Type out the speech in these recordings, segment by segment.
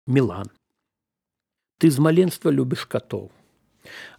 Мілан. Ты з маленства любіш катоў.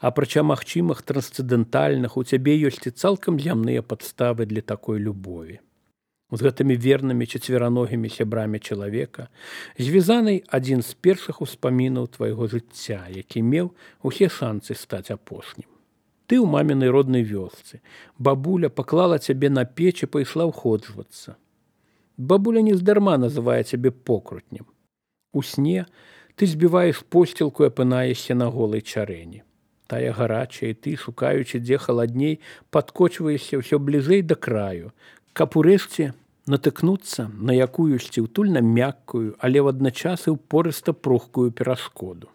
Апрача магчымых трансцэндэнтальных, у цябе ёсць і цалкам зямныя падставы для такой любові. З гэтымі вернымі чацвераногімі сябрамі чалавека звязаны адзін з першых успамінаў твайго жыцця, які меў усе шанцы стаць апошнім. Ты ў мамінай роднай вёсцы. Бабуля паклала цябе на печ і пайшла ўходжвацца. Бабуля нездарма называе цябе покрутнем. У сне ты збіваеш посцілку і апынаешся на голай чарэні. Тая гарачая, і ты, шукаючы, дзе халадней, падкочваешся ўсё бліжэй да краю, каб урэшце натыкнуцца на якуюсьці ўтульна мяккую, але вадначас і ўпорыста пругкую перашкоду.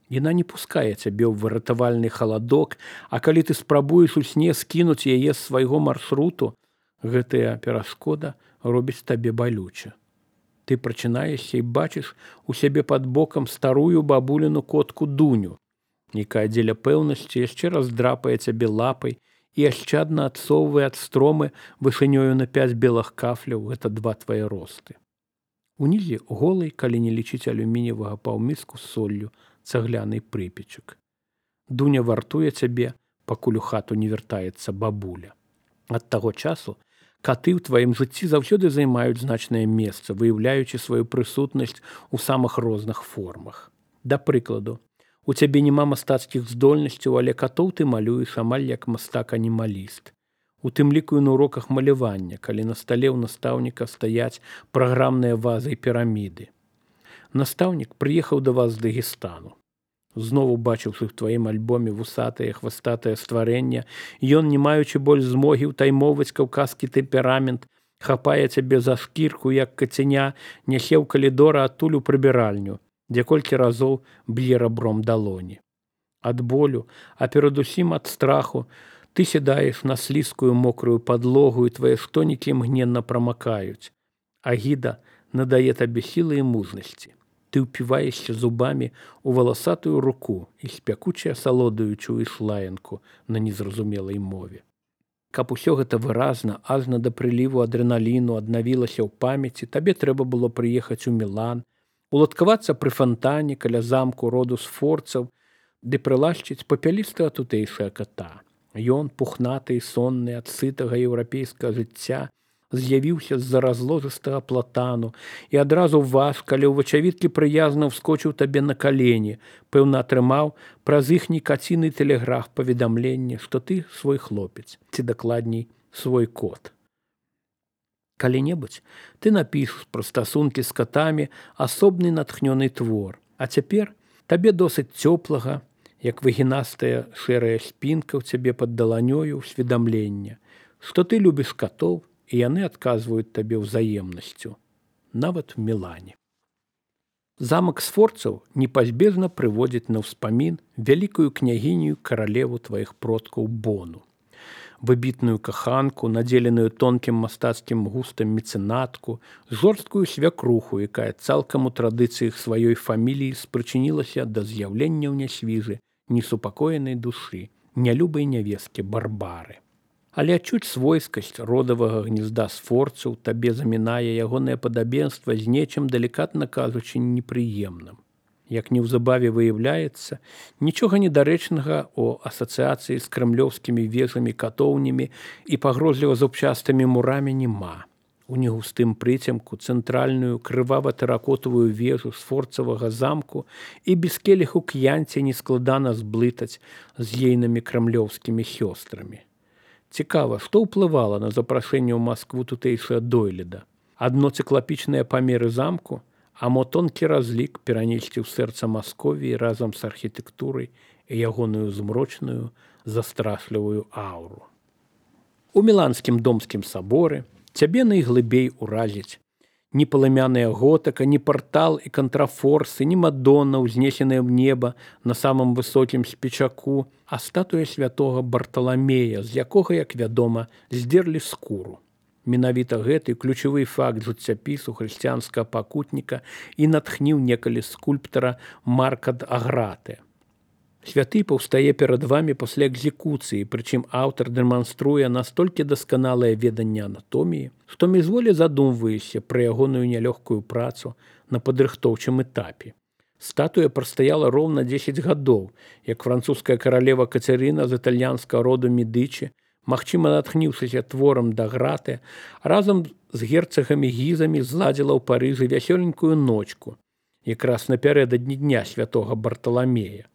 Яна не пускае цябе ў выратавальны халадок, а калі ты спрабуеш у сне скінуць яе з свайго маршруту, гэтая перашкода робіць табе балюча. Ты прачынаешся і бачыш у сябе пад бокам старую бабуліну котку Дуню, якая дзеля пэўнасці яшчэ раз драпае цябе лапай і ашчадна адсоўвае ад стромы вышынёю на 5 белых кафляў, гэта 2 твае росты. Унізе голай, калі не лічыць алюмініевага паўміску з соллю, цагляны прыпечак. Дуня вартуе цябе, пакуль у хату не вяртаецца бабуля. Ад таго часу каты ў тваім жыцці заўсёды займаюць значнае месца, выяўляючы сваю прысутнасць у самых розных формах. Да прыкладу, у цябе няма мастацкіх здольнасцяў, але катоў ты малюеш амаль як мастак-анімаліст. У тым ліку і на уроках малявання, калі на стале ў настаўніка стаяць праграмныя вазы і піраміды. Настаўнік прыехаў да вас з Дагестану. Знову бачыўшы ў тваім альбоме вусатае хвастатае стварэнне, ён, не маючы больш змогі ўтаймоўваць каўказскі тэмперамент, хапае цябе за шкірку, як кацяня, нясе ў калідора адтуль у прыбіральню, дзе колькі разоў б'е рабром далоні. Ад болю, а перадусім ад страху, ты сядаеш на слізкую мокрую падлогу, і твае штонікі імгненна прамакаюць. Агіда надае табе сілы і мужнасці. Ты ўпіваешся зубамі ў валасатую руку і спякуча асалодаю чуеш лаянку на незразумелай мове. Каб усё гэта выразна, ажна да прыліву адрэналіну аднавілася ў памяці, табе трэба было прыехаць у Мілан, уладкавацца пры фантане каля замку роду сфорцаў, ды прылашчыць папялістага тутэйшага ката. Ён, пухнаты і сонны ад сытага еўрапейскага жыцця, з'явіўся з-за разложыстага платану і адразу вас, калі ў вачавіткі прыязна ўскочыў табе на калені, пэўна атрымаў праз іхні каціны тэлеграф паведамленне, што ты свой хлопец, ці дакладней свой кот. Калі-небудзь ты напішаш пра стасункі з катамі асобны натхнёны твор, а цяпер табе досыць цёплага, як выгінастая шэрая спінка ў цябе пад даланёю ўсведамлення, што ты любіш катоў, і яны адказваюць табе ўзаемнасцю, нават у Мілане. Замак сфорцаў непазбежна прыводзіць на ўспамін вялікую княгіню каралеву тваіх продкаў Бону. Выбітную каханку, надзеленую тонкім мастацкім густам мецэнатку, жорсткую свякруху, якая цалкам у традыцыях сваёй фаміліі спрычынілася да з'яўлення ў нясвіжы несупакоенай душы, нялюбай нявесткі Барбары. Але адчуць свойскасць родавага гнезда сфорцаў табе замінае ягонае падабенства з нечым, далікатна кажучы, непрыемным. Як неўзабаве выяўляецца, нічога недарэчнага ў асацыяцыі з крэмлёўскімі вежамі, катоўнямі і пагрозліва зубчастымі мурамі няма. У негустым прыцемку цэнтральную крывава-тэракотавую вежу сфорцавага замку і без келіху к'янці нескладана зблытаць з ейнымі крэмлёўскімі сёстрамі. Цікава, што ўплывала на запрашэнне ў Маскву тутэйшага дойліда? Адно цыклапічныя памеры замку, а мо тонкі разлік перанесці ў сэрца Масковіі разам з архітэктурай і ягоную змрочную, застрашлівую ауру. У Міланскім домскім саборы цябе найглыбей уразіць ні палымяная готыка, ні партал і кантрафорсы, ні мадонна, узнесеная ў неба на самым высокім спечаку, а статуя святога Барталамея, з якога, як вядома, здзерлі скуру. Менавіта гэты ключавы факт жыццяпісу хрысціянскага пакутніка і натхніў некалі скульптара Марка д Аграте. Святы паўстае перад вамі пасля экзекуцыі, прычым аўтар дэманструе настолькі дасканалае веданне анатоміі, што мізволі задумваешся пра ягоную нялёгкую працу на падрыхтоўчым этапе. Статуя прастаяла роўна 10 гадоў, як французская каралева Кацярына з італьянскага роду Медычы, магчыма, натхніўшыся творам Даграты, разам з герцагамі Гізамі зладзіла ў Парыжы вясёленькую ночку, якраз напярэдадні дня святога Барталамея.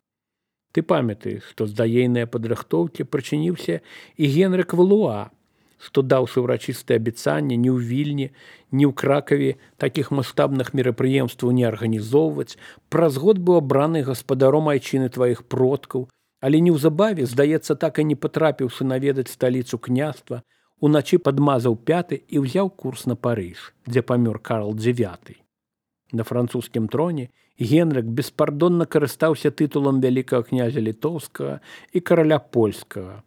Ты памятаеш, што з даейнае падрыхтоўкі прычыніўся і Генрык Валуа, што даўшы ўрачыстае абяцанне ні ў Вільні, ні ў Кракаве такіх маштабных мерапрыемстваў не арганізоўваць, праз год быў абраны гаспадаром айчыны тваіх продкаў, але неўзабаве, здаецца, так і не патрапіўшы наведаць сталіцу княства, уначы падмазаў пяты і ўзяў курс на Парыж, дзе памёр Карл IX. На французскім троне Генрык беспардонна карыстаўся тытулам вялікага князя літоўскага і караля польскага.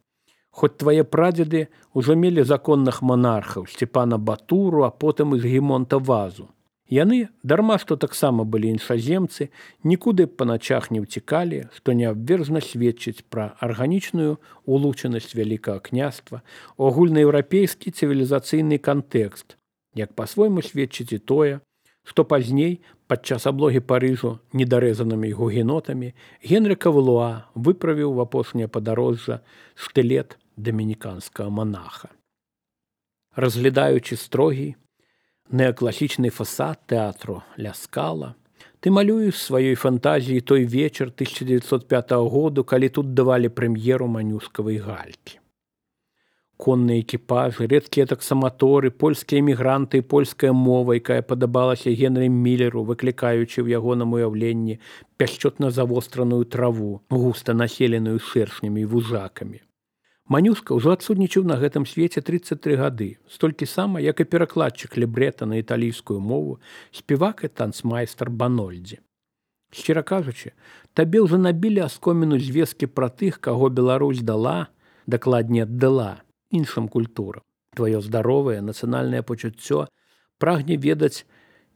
Хоць твае прадзеды ўжо мелі законных монархаў Сцепана Батуру, а потым і Згімонта Вазу. Яны, дарма што таксама былі іншаземцы, нікуды па начах не ўцікалі, што неабвержна сведчыць пра арганічную улучанасць вялікага княства, агульнаеўрапейскі цывілізацыйны кантэкст, як па-свойму сведчыць і тое, што пазней, падчас аблогі Парыжу недарэзанымі гугенотамі, Генрыка Валуа выправіў в апошняе падарожжа штылет дамініканскага монаха. Разглядаючы строгі, неакласічны фасад тэатру Ля Скала, ты малюеш сваёй фантазіі той вечар 1905 году, калі тут давалі прэм'еру манюскавай галькі. Конныя экіпажы, рэдкія таксаматоры, польскія эмігранты і польская мова, якая падабалася Генры Міллеру, выклікаючы ў ягоным уяўленні пяшчотна завостраную траву, густа населеную шэршнямі і вужакамі. Манюска ўжо адсутнічаў на гэтым свеце 33 гады, столькі сама, як і перакладчык лібрэта на італійскую мову, спевак і танцмайстар Банольдзі. Шчыра кажучы, табе ўжо набілі аскоміну звесткі пра тых, каго Беларусь дала, дакладней аддала, іншым культурам. Тваё здаровае нацыянальнае пачуццё прагне ведаць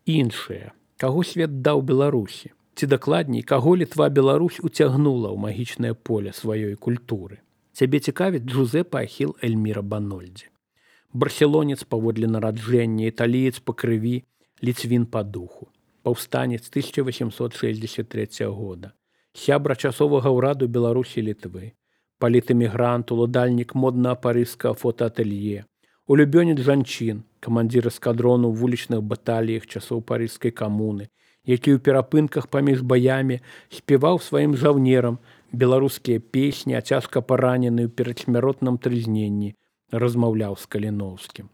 іншае, каго свет даў Беларусі, ці дакладней, каго Літва Беларусь уцягнула ў магічнае поле сваёй культуры. Цябе цікавіць Джузепа Ахіл Эльміра Банольдзі. Барселонец паводле нараджэння, італіец па крыві, ліцвін па духу. Паўстанец 1863 года. Сябра часовага ўраду Беларусі і Літвы. Палітэмігрант, уладальнік моднага парыжскага фотаатэлье, улюбёнец жанчын, камандзір эскадрону ў вулічных баталіях часоў парыжскай камуны, які ў перапынках паміж баямі спеваў сваім жаўнерам беларускія песні, а цяжка паранены ў перадсмяротным трызненні, размаўляў з Каліноўскім.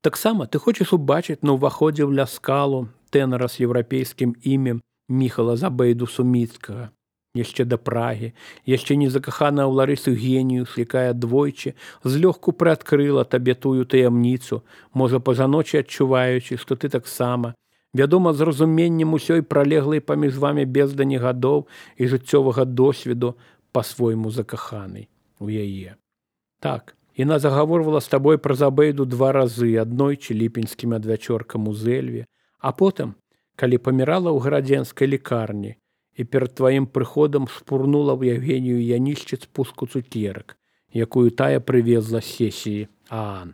Таксама ты хочаш убачыць на ўваходзе ў Ля Скалу тэнара з еўрапейскім імем Міхала Забейду Суміцкага, яшчэ да Прагі, яшчэ не закаханая ў Ларысу Геніюс, якая двойчы злёгку прыадкрыла табе тую таямніцу, можа пажаночы адчуваючы, што ты таксама, вядома, з разуменнем усёй пралеглай паміж вамі бездані гадоў і жыццёвага досведу па-свойму закаханай у яе. Так, яна загаворвала з табой пра Забейду 2 разы, аднойчы ліпеньскім адвячоркам у Зэльве, а потым, калі памірала ў гарадзенскай лікарні, і перад тваім прыходам шпурнула ў Евгенію Янішчыц пуску цукерак, якую тая прывезла з сесіі ААН.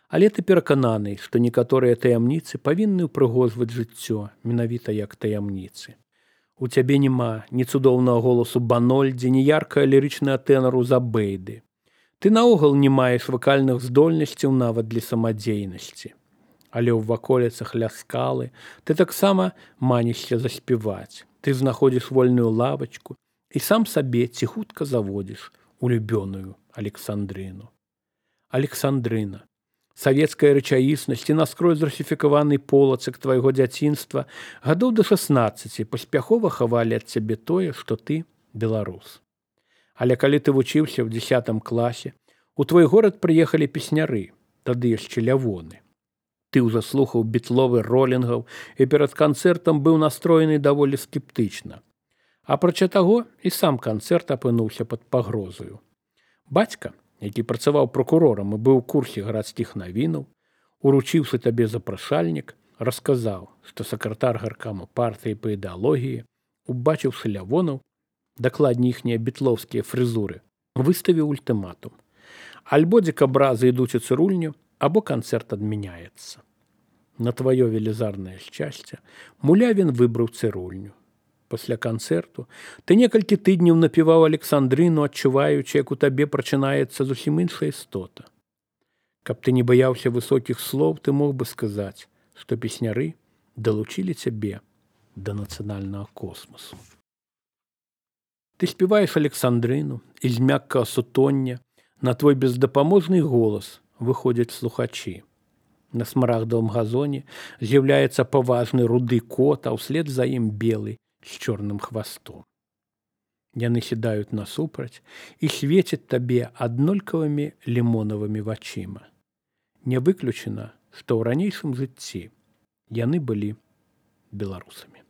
Але ты перакананы, што некаторыя таямніцы павінны ўпрыгожваць жыццё, менавіта як таямніцы. У цябе няма ні цудоўнага голасу Банольдзі, ні яркага лірычнага тэнару Забейды. Ты наогул не маеш вакальных здольнасцяў нават для самадзейнасці. Але ў ваколіцах Ля Скалы ты таксама манішся заспяваць. Ты знаходзіш вольную лавачку і сам сабе ціхутка заводзіш улюбёную Александрыну. Александрына, савецкая рэчаіснасць і наскрозь зрусіфікаваны полацак твайго дзяцінства гадоў да 16 паспяхова хавалі ад цябе тое, што ты беларус. Але калі ты вучыўся ў 10 класе, у твой горад прыехалі песняры, тады яшчэ лявоны. Ты ўжо слухаў бітловы ролінгаў і перад канцэртам быў настроены даволі скептычна. Апрача таго, і сам канцэрт апынуўся пад пагрозаю. Бацька, які працаваў пракурорам і быў у курсе гарадскіх навінаў, уручыўшы табе запрашальнік, расказаў, што сакратар гаркама партыі па ідэалогіі, убачыўшы лявонаў, дакладней іхнія бітлоўскія фрызуры, выставіў ультыматум. Альбо дзікабразы ідуць у цырульню, або канцэрт адмяняецца. На тваё велізарнае шчасце Мулявін выбраў цырульню. Пасля канцэрту ты некалькі тыдняў напіваў Александрыну, адчуваючы, як у табе прачынаецца зусім іншая істота. Каб ты не баяўся высокіх слоў, ты мог бы сказаць, што песняры далучылі цябе да нацыянальнага космасу. Ты спяваеш Александрыну, і з мяккага сутоння на твой бездапаможны голас выходзяць слухачы. На смарагдавым газоне з'яўляецца паважны руды кот, а ўслед за ім белы з чорным хвастом. Яны сідаюць насупраць і свецяць табе аднолькавымі лімонавымі вачыма. Не выключана, што ў ранейшым жыцці яны былі беларусамі.